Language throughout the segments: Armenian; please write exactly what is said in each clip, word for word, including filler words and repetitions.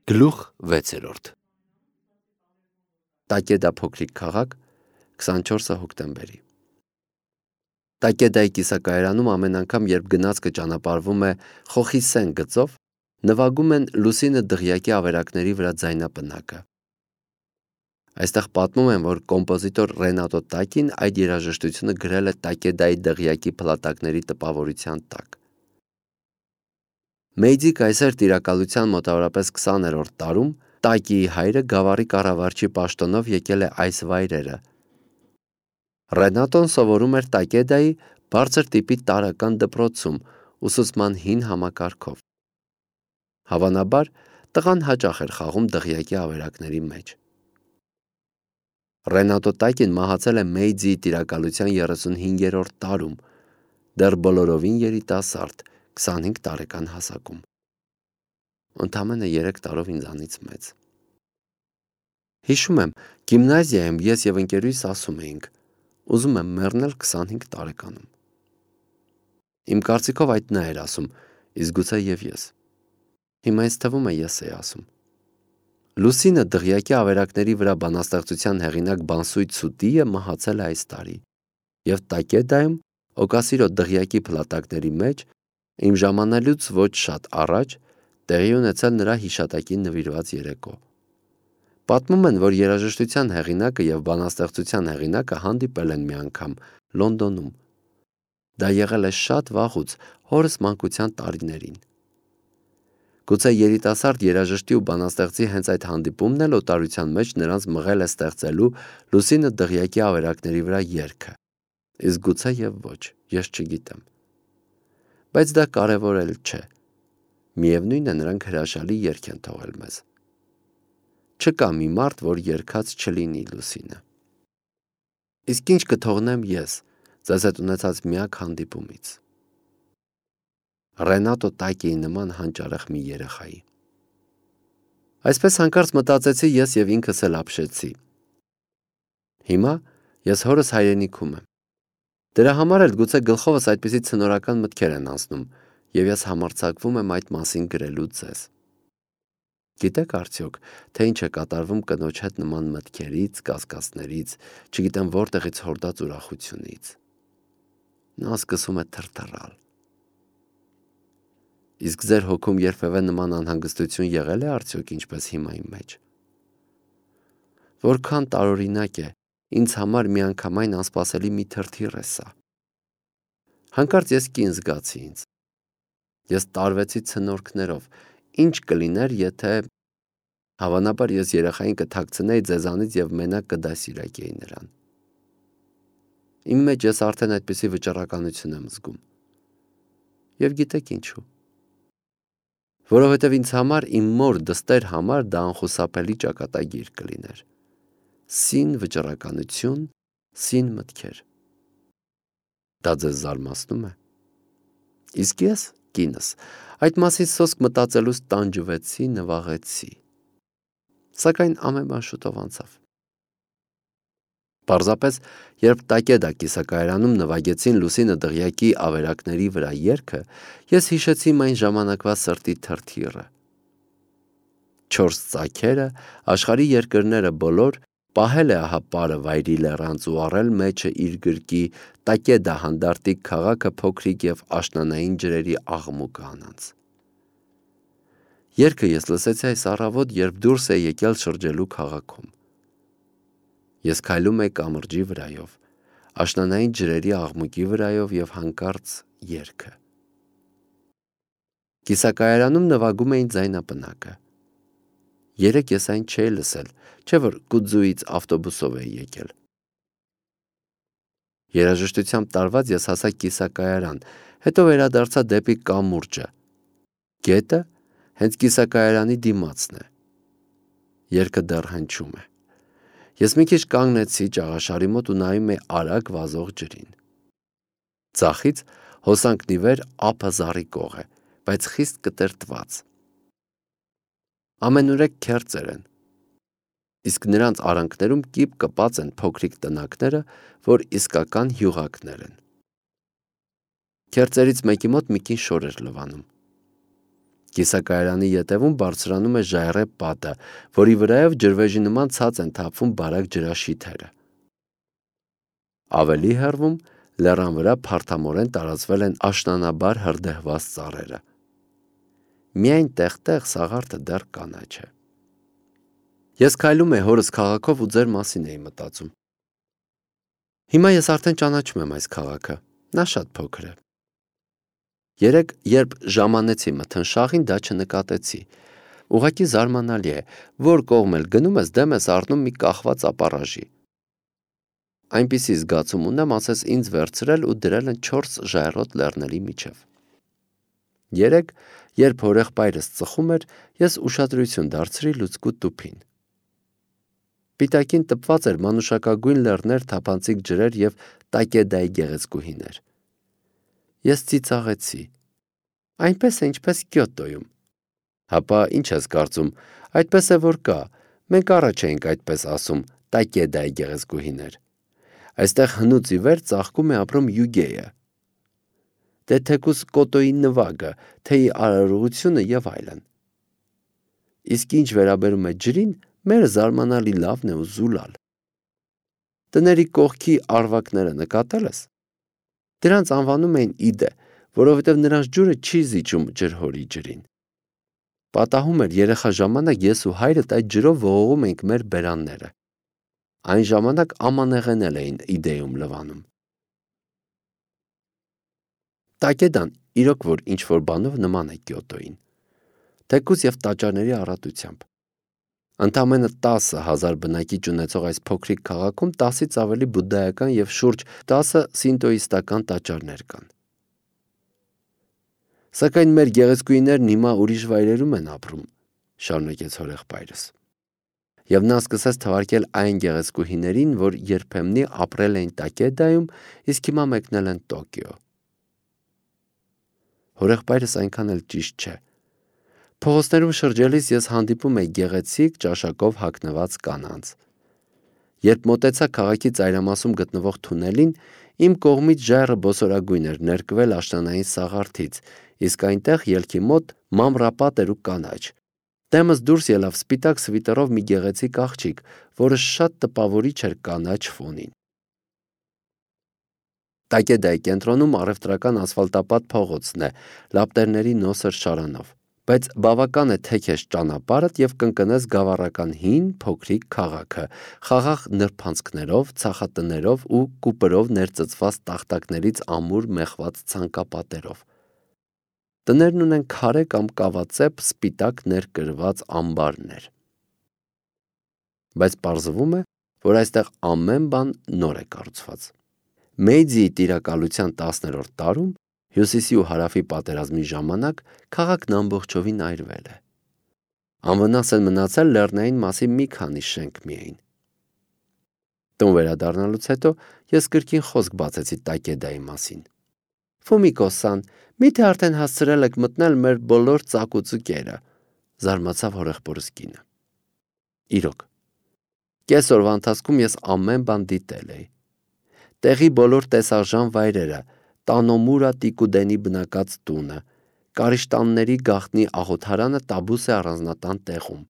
Գլուխ վեցերորդ Տակեդա փոքրիկ քաղաք քսանչորսը հոկտեմբերի Տակեդայի կիսակայարանում ամեն անգամ, երբ գնացքը ճանապարհվում է Խոխիսեն գծով, նվագում են լուսինը դղյակի ավերակների վրա ձայնապնակը։ Այստեղ պատմում են, որ կոմպոզիտոր Ռենատո Տակին այդ երաժշտությունը գրել է Տակեդայի դղյակի փլատակների տպավորության տակ։ Մեյձի կայսեր տիրակալության մոտավորապես քսաներորդ տարում Տակիի հայրը գավառի կառավարչի պաշտոնով եկել է այս վայրերը։ Ռենատոն սովորում էր Տակեդայի բարձր տիպի տարրական դպրոցում ուսուցման հին համակարգով։ Հավանաբար, տղան հաճախ էր խաղում դղյակի ավերակների մեջ։ Ռենատո Տակին մահացել է Մեյձիի տիրակալության երեսունհինգերորդ տարում, դեռ բոլորովին երիտասարդ, քսանհինգ տարեկան հասակում։ Ընդամենը երեք տարով ինձանից մեծ։ Հիշում եմ, գիմնազիայում ես և ընկերուհիս ասում էինք, ուզում եմ մեռնել քսանհինգ տարեկանում։ Իմ կարծիքով այդ նա էր ասում, իսկ գուցե և ես։ Հիմա ինձ թվում է ես էի ասում։ Լուսինը դղյակի ավերակների վրա բանաստեղծության հեղինակ Բանսույթ Սուտիը մահացել է այս տարի, և Տակեդայում օկասիրո դղյակի փլատակների մեջ իմ ժամանելուց ոչ շատ առաջ տեղի ունեցել նրա հիշատակին նվիրված երեկո։ Պատմում են, որ երաժշտության հեղինակը և բանաստեղծության հեղինակը հանդիպել են մի անգամ Լոնդոնում։ Դա եղել է շատ վաղուց հորս մանկության տարիներին։ Գուցե երիտասարդ երաժշտի ու բանաստեղծի հենց այդ հանդիպումն էլ օտարության մեջ նրանց մղել է ստեղծելու լուսինը դղյակի ավերակների վրա երգը, իսկ գուցե և ոչ, ես չգիտեմ։ Բայց դա կարևոր էլ չէ։ Միևնույն է, նրանք հրաշալի երգ են թողել մեզ։ Չկա մի մարդ, որ երգած չլինի լուսինը։ Իսկ ինչ կթողնեմ ես ձեզ հետ ունեցած միակ հանդիպումից։ Ռենատո Տակիի նման հանճարեղ մի երեխայի։ Այսպես հանկարծ մտածեցի ես և ինքս էլ ապշեցի։ Հիմա ես հորս հայրենիքում եմ։ Դրա համար էլ գուցե գլխովս այդպիսի ցնորական մտքեր են անցնում, և ես համարձակվում եմ այդ մասին գրելու ձեզ։ Գիտեք արդյոք, թե ինչ է կատարվում կնոջ հետ նման մտքերից, կասկածներից, չգիտեմ որտեղից հորդած ուրախությունից։ Նա սկսում է թրթռալ։ Իսկ ձեր հոգում երբևէ նման անհանգստություն եղել է արդյոք ինչպես հիմա իմ մեջ։ Որքան տարօրինակ է, ինձ համար միանգամայն անսպասելի մի թրթիռ է սա։ Հանկարծ ես կին զգացի ինձ։ Ես տարվեցի ցնորքներով, ինչ կլիներ, եթե… Հավանաբար ես երեխային կթաքցնեի ձեզանից և մենակ կդասիրակեի նրան։ Իմ մեջ ես արդեն այդպիսի վճռականություն եմ զգում։ Եվ գիտեք ինչու։ Որովհետև ինձ համար, իմ մոր դստեր համար դա անխուսափելի ճակատագիր կլիներ։ Սին վճռականություն, սին մտքեր։ Դա ձեզ զարմացնում է։ Իսկ ես, կինս, այդ մասին սոսկ մտածելուց տանջվեցի, նվաղեցի։ Սակայն ամեն բան շուտով անցավ։ Պարզապես, երբ Տակեդա կիսակայարանում նվագեցին լուսինը դղյակի ավերակների վրա երգը, ես հիշեցի իմ այն ժամանակվա սրտի թրթիռը։ Չորս ծագերը, աշխարհի երկրները բոլոր, պահել է ահա պարը վայրի լեռանց ու առել մեջը իր գրկի Տակեդա հանդարտիկ քաղաքը փոքրիկ և աշնանային ջրերի աղմուկը անանց։ Երգը ես լսեցի այս առավոտ, երբ դուրս էի եկել շրջելու քաղաքում։ Ես քայլում էի կամրջի վրայով, աշնանային ջրերի աղմուկի վրայով և հանկարծ երգը։ Կիսակայարանում նվագում էին ձայնապնակը։ Երեկ ես այն չէի լսել, չէ՞ որ Կուձուից ավտոբուսով էի եկել։ Երաժշտությամբ տարված ես հասա կիսակայարան, հետո վերադարձա դեպի կամուրջը։ Գետը հենց կիսակայարանի դիմացն է։ Երգը դեռ հնչում է։ Ես մի քիչ կանգնեցի ճաղաշարի մոտ ու նայում էի արագ վազող ջրին։ Ձախից հոսանքն ի վեր ափը զառիկող է, բայց խիստ կտրտված։ Ամենուրեք քերծեր են, իսկ նրանց արանքներում կիպ կպած են փոքրիկ տնակները, որ իսկական հյուղակներ են։ Քերծերից մեկի մոտ մի կին շոր էր լվանում։ Կիսակայարանի ետևում բարձրանում է ժայռե պատը, որի վրայով ջրվեժի նման ցած են թափվում բարակ ջրաշիթերը։ Ավելի հեռվում լեռան վրա փարթամորեն տարածվել են աշնանաբար հրդեհված ծառերը։ Միայն տեղ-տեղ սաղարթը դեռ կանաչ է։ Ես քայլում էի հորս քաղաքով ու ձեր մասին էի մտածում։ Հիմա ես արդեն ճանաչում եմ այս քաղաքը, նա շատ փոքր է։ Երեկ, երբ ժամանեցի մթնշաղին, դա չնկատեցի։ Ուղղակի զարմանալի է, որ կողմ էլ գնում ես, դեմ ես առնում մի կախված ապառաժի։ Այնպիսի զգացում ունեմ, ասես ինձ վերցրել ու դրել են չորս ժայռոտ լեռների միջև։ Երեկ, երբ հորեղբայրս ծխում էր, ես ուշադրություն դարձրի լուցկու տուփին։ Պիտակին տպված էր մանուշակագույն լեռներ, թափանցիկ ջրեր և տակեդայի գեղեցկուհիներ։ Ես ծիծաղեցի։ Այնպես է, ինչպես Կյոտոյում։ Հապա ինչ ես կարծում, այդպես է, որ կա։ Մենք առաջ էինք այդպես ասում, տակեդայի գեղեցկուհիներ։ Այստեղ հնուց ի վեր ծաղկում է ապրում Յուգեյը։ Դե թեկուզ Կոտոյի նվագը, թեյի արարողությունը և այլն։ Իսկ ինչ վերաբերում է ջրին, մերը զարմանալի լավն է ու զուլալ։ Տների կողքի արվակները նկատել ես։ Դրանց անվանում էին իդե, որովհետև նրանց ջուրը չի զիջում ջրհորի ջրին։ Պատահում էր երեխա ժամանակ ես ու հայրդ այդ ջրով ողողում էինք մեր բերանները։ Այն ժամանակ ամանեղեն էին իդեում լվանում։ Տակեդան իրոք որ ինչ-որ բանով նման է Կյոտոյին, թեկուզ և տաճարների առատությամբ։ Ընդամենը տասը հազար բնակիչ ունեցող այս փոքրիկ քաղաքում տասից ավելի բուդդայական և շուրջ տասը սինտոիստական տաճարներ կան։ Սակայն մեր գեղեցկուհիներն հիմա ուրիշ վայրերում են ապրում, շարունակեց հորեղբայրս։ Եվ նա սկսեց թվարկել այն գեղեցկուհիներին, որ երբեմնի ապրել էին Տակեդայում, իսկ հիմա մեկնել են Տոկիո։ Հորեղբայրս այնքան էլ ճիշտ չէ։ Փողոցներում շրջելիս ես հանդիպում էի գեղեցիկ ճաշակով հագնված կանանց։ Երբ մոտեցա քաղաքի ծայրամասում գտնվող թունելին, իմ կողմից ժայռը բոսորագույն էր ներկվել աշնանային սաղարթից, իսկ այնտեղ ելքի մոտ մանրապատ էր ու կանաչ։ Դեմս դուրս ելավ սպիտակ սվիտերով մի գեղեցիկ աղջիկ, որը շատ տպավորիչ էր կանաչ ֆոնին։ Տակեդայի կենտրոնում առևտրական ասֆալտապատ փողոցն է, լապտերների նոսր շարանով, բայց բավական է թեքես ճանապարհդ և կընկնես գավառական հին փոքրիկ քաղաքը, խաղաղ նրբանցքներով, ցախատներով ու կուպրով ներծծված տախտակներից ամուր մեխված ցանկապատերով։ Տներն ունեն քարե կամ կավածեպ սպիտակ ներկրված ամբարներ։ Բայց պարզվում է, որ այստեղ ամեն բան նոր է կառուցված։ Մեիձիի տիրակալության տասներորդ տարում, հյուսիսի ու հարավի պատերազմի ժամանակ, քաղաքն ամբողջովին այրվել է։ Անվնաս են մնացել լեռնային մասի մի քանի շենք միայն։ Տուն վերադառնալուց հետո ես կրկին խոսք բացեցի Տակեդայի մասին։ Ֆումիկո-սան, միթե արդեն հասցրել եք մտնել մեր բոլոր ծակուծուկերը, զարմացավ հորեղբորս կինը։ Իրոք, կես օրվա ընթացքում ես ամեն բան դիտել էի։ Տեղի բոլոր տեսարժան վայրերը, Տանոմուրա Տիկուդենի բնակած տունը, Կարիշտանների գաղտնի աղոթարանը Տաբուսե առանձնատան տեղում,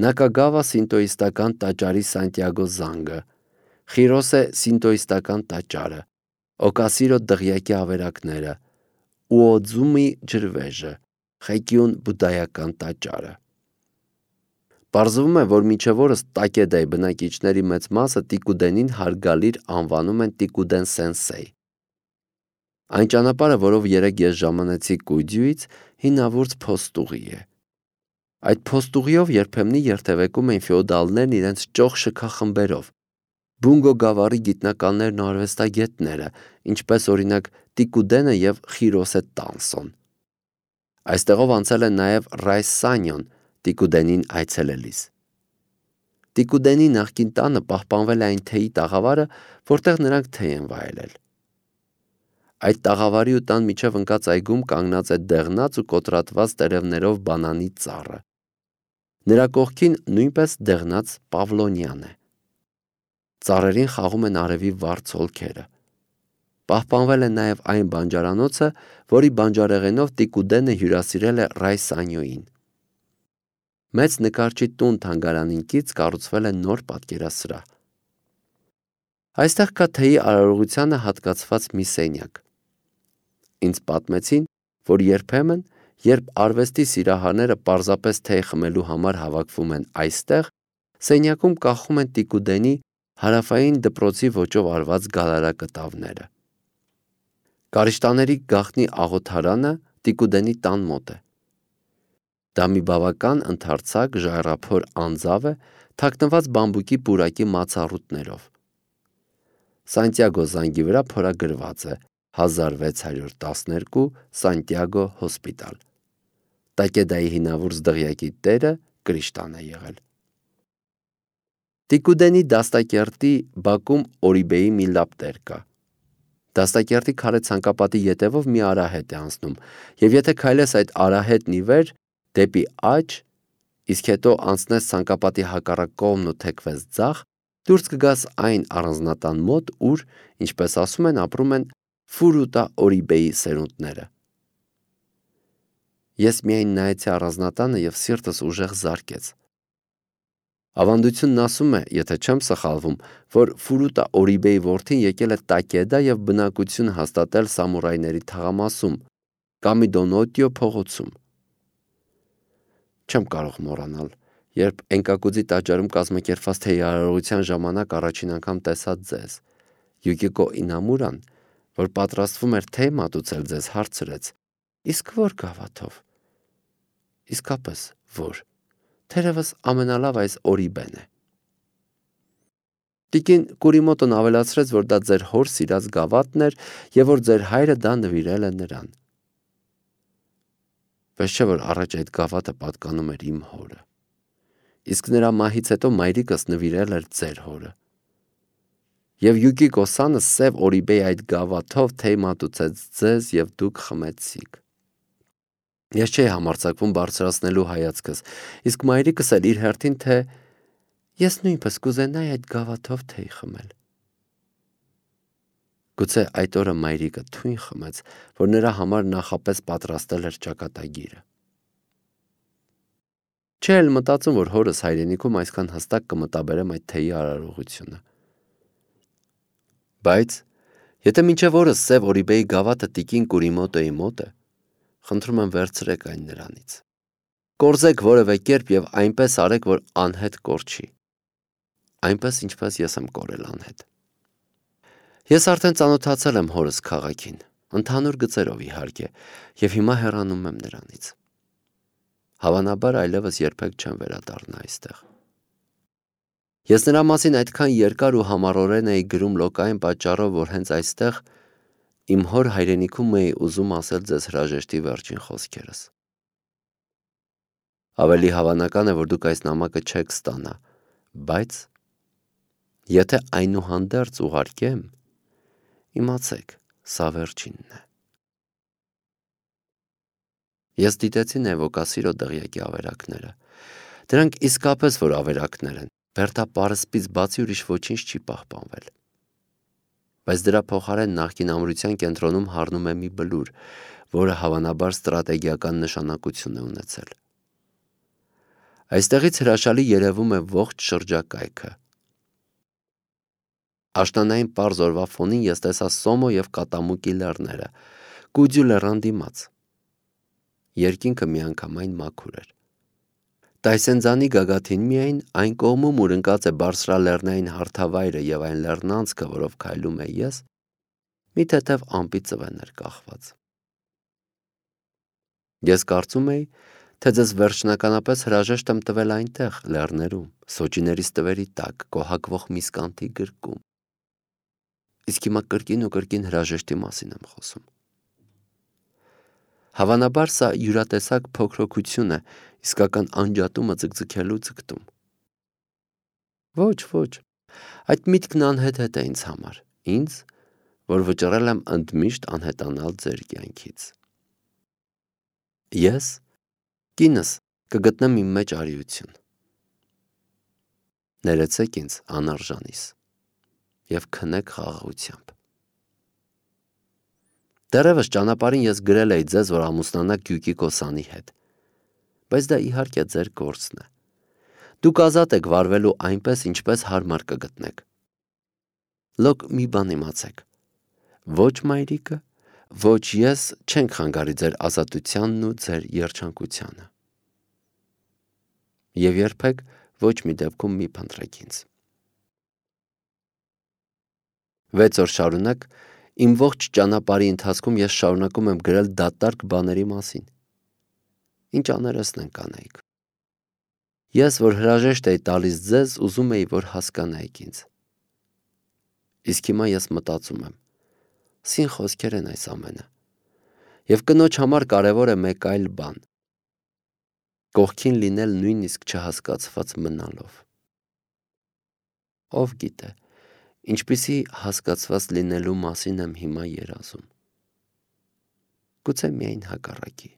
Նակագավա սինտոիստական տաճարի Սանտիագո զանգը, Խիրոսե սինտոիստական տաճարը, Օկասիրո դղյակի ավերակները, Ուոձումի ջրվեժը, Խեկյուն բուդդայական տաճարը։ Պարզվում է, որ մինչև օրս Տակեդայի բնակիչների մեծ մասը Տիկուդենին հարգալիր անվանում են Տիկուդեն Սենսեյ։ Այն ճանապարհը, որով երեկ ես ժամանեցի Կույջյուից, հինավուրց փոստուղի է։ Այդ փոստուղիով երբեմնի երթևեկում էին ֆեոդալներն իրենց ճոխ շքախմբերով, Բունգո գավառի գիտնականներն ու արվեստագետները, ինչպես օրինակ Տիկուդենը և Խիրոսե Տանսոն։ Այստեղով անցել է նաև Ռայս Սանյոն Տիկուդենին այցելելիս։ Տիկուդենի նախկին տանը պահպանվել է այն թեյի տաղավարը, որտեղ նրանք թեյ են վայելել։ Այդ տաղավարի ու տան միջև ընկած այգում կանգնած է դեղնած ու կոտրատված տերևներով բանանի ծառը։ Նրա կողքին նույնպես դեղնած Պավլոնյան է։ Ծառերին խաղում են արևի վառ ցոլքերը։ Պահպանվել է նաև այն բանջարանոցը, որի բանջարեղենով Տիկուդենը հյուրասիրել է Ռայսանյոին։ Մեծ նկարչի տուն թանգարանին կից կառուցվել է նոր պատկերասրահ։ Այստեղ կա թեյի արարողությանը հատկացված մի սենյակ։ Ինձ պատմեցին, որ երբեմն, երբ արվեստի սիրահարները պարզապես թեյ խմելու համար հավաքվում են այստեղ, սենյակում կախում են Տիկուդենի հարավային դպրոցի ոճով արված գալարակտավները։ Կարիճտաների գաղտնի աղոթարանը Տիկուդենի տան մոտ է։ Դա մի բավական ընդարձակ ժայռափոր անձավ է, թաքնված բամբուկի պուրակի մացառուտներով։ Սանտիագո զանգի վրա փորագրված է հազար վեց հարյուր տասներկու Սանտիագո հոսպիտալ։ Տակեդայի հինավուրց դղյակի տերը Կրիշտան է եղել։ Տիկուդենի դաստակերտի բակում Օրիբեի մի լապտեր կա։ Դաստակերտի քարե ցանկապատի ետևով մի արահետ է անցնում, եւ եթե քայլես այդ արահետն ի վեր դեպի աջ, իսկ հետո անցնես ցանկապատի հակառակ կողմն ու թեքվես ձախ, դուրս կգաս այն առանձնատան մոտ, ուր, ինչպես ասում են, ապրում են Ֆուրուտա Օրիբեի սերունդները։ Ես միայն նայեցի առանձնատանը եւ սիրտս ուժեղ զարկեց։ Ավանդությունն ասում է, եթե չեմ սխալվում, որ Ֆուրուտա Օրիբեի որդին եկել է Տակեդա եւ բնակություն հաստատել սամուրայների թաղամասում, Կամիդոնոտիո փողոցում։ Չեմ կարող մոռանալ, երբ Էնկակուձի տաճարում կազմակերպված թեյարարողության ժամանակ առաջին անգամ տեսա ձեզ։ Յուկիկո Ինամուրան, որ պատրաստվում էր թեյ մատուցել ձեզ, հարցրեց. Իսկ որ գավաթով։ Իսկապես որ։ Թերևս ամենալավ այս Օրիբեն է։ Տիկին Կուրիմոտոն ավելացրեց, որ դա ձեր հոր սիրած գավաթն էր եւ որ ձեր հայրը դա նվիրել է նրան։ Պես չէ որ առաջ այդ գավաթը պատկանում էր իմ հորը։ Իսկ նրա մահից հետո մայրիկս նվիրել էր ձեր հորը։ Եվ Յուկիկո Սանը սև Օրիբեի այդ գավաթով թեյ մատուցեց ձեզ եւ դուք խմեցիք։ Ես չէի համարձակվում բարձրացնելու հայացքս, իսկ մայրիկս էլ իր հերթին, թե ես նույնպես կուզենայի այդ գավաթով թեյ խմել։ Գուցե այդ օրը մայրիկը թույն խմեց, որ նրա համար նախապես պատրաստել էր ճակատագիրը։ Չէ էլ մտածում, որ հորս հայրենիքում այսքան հստակ կմտաբերեմ այդ թեյի արարողությունը։ Բայց եթե մինչև օրս սև Օրիբեի գավաթը տիկին Կուրիմոտոյի մոտ է, խնդրում եմ վերցրեք այն նրանից։ Կորզեք որևէ կերպ եւ այնպես արեք, որ անհետ կորչի։ Այնպես ինչպես ես եմ կորել անհետ։ Ես արդեն ծանոթացել եմ հորս քաղաքին, ընդհանուր գծերով իհարկե, եւ հիմա հեռանում եմ նրանից։ Հավանաբար այլևս երբեք չեմ վերադառնա այստեղ։ Ես նրա մասին այդքան երկար ու համառորեն էի գրում լոկային պատճառով, որ հենց այստեղ իմ հոր հայրենիքում էի ուզում ասել ձեզ հրաժեշտի վերջին խոսքերս։ Ավելի հավանական է, որ դուք այս նամակը չեք ստանա, բայց եթե այնուհանդերձ ուղարկեմ, իմացեք, սա վերջինն է։ Ես դիտեցի Նևոկասիրո դղյակի ավերակները։ Դրանք իսկապես որ ավերակներ են, Բերտա պարսպից բացի ուրիշ ոչինչ չի պահպանվել։ Բայց դրա փոխարեն նախկին ամրության կենտրոնում հառնում է մի բլուր, որը հավանաբար ստրատեգիական նշանակություն է ունեցել։ Այստեղից հրաշալի երևում է ողջ շրջակայքը։ Աշնանային պարզ օրվա ֆոնին ես տեսա Սոմո եւ Կատամուկի լեռները, Կուջու լեռան դիմաց։ Երկինքը միանգամայն մաքուր էր։ Տայսենձանի գագաթին միայն այն կողմում, ուր ընկած է բարձրալեռնային հարթավայրը եւ այն լեռնանցքը, որով քայլում է ես, մի թեթև ամպի ծվեն էր կախված։ Ես կարծում էի, թե ձեզ վերջնականապես հրաժեշտ եմ տվել այնտեղ, լեռներում, սոճիների ստվերի տակ, կոհակվող միսկանթի գրկում։ Իսկ հիմա կրկին ու կրկին հրաժեշտի մասին եմ խոսում։ Հավանաբար սա յուրատեսակ փոքրոքություն է, իսկական անջատումը ձգձգելու ձգտում։ Ոչ, ոչ, այդ միտքն անհետ է ինձ համար, ինձ, որ վճռել եմ ընդմիշտ անհետանալ ձեր կյանքից։ Ես, կինս, կգտնեմ իմ մեջ արիություն։ Ներեցեք ինձ անարժանիս և քնեք խաղաղությամբ։ Դեռևս ճանապարհին ես գրել էի ձեզ, որ ամուսնանաք Գյուկի Կոսանի հետ, բայց դա իհարկե ձեր գործն է։ Դուք ազատ եք վարվելու այնպես, ինչպես հարմար կգտնեք։ Լոկ մի բան իմացեք. ոչ մայրիկը, ոչ ես չենք խանգարի ձեր ազատությանն ու ձեր երջանկությանը։ Եվ երբեք ոչ մի դեպքում մի փնտրեք ինձ։ Վեց օր շարունակ իմ ողջ ճանապարհի ընթացքում ես շարունակում եմ գրել դատարկ բաների մասին։ Ինչ աներեսն են կանեիք։ Ես, որ հրաժեշտ էի տալիս ձեզ, ուզում էի, որ հասկանայիք ինձ։ Իսկ հիմա ես մտածում եմ. սին խոսքեր են այս ամենը։ Եվ կնոջ համար կարևոր է մեկ այլ բան. կողքին լինել նույնիսկ չհասկացված մնալով։ Ով գիտե, ինչպիսի հասկացված լինելու մասին եմ հիմա երազում։ Գուցե միայն հակառակի։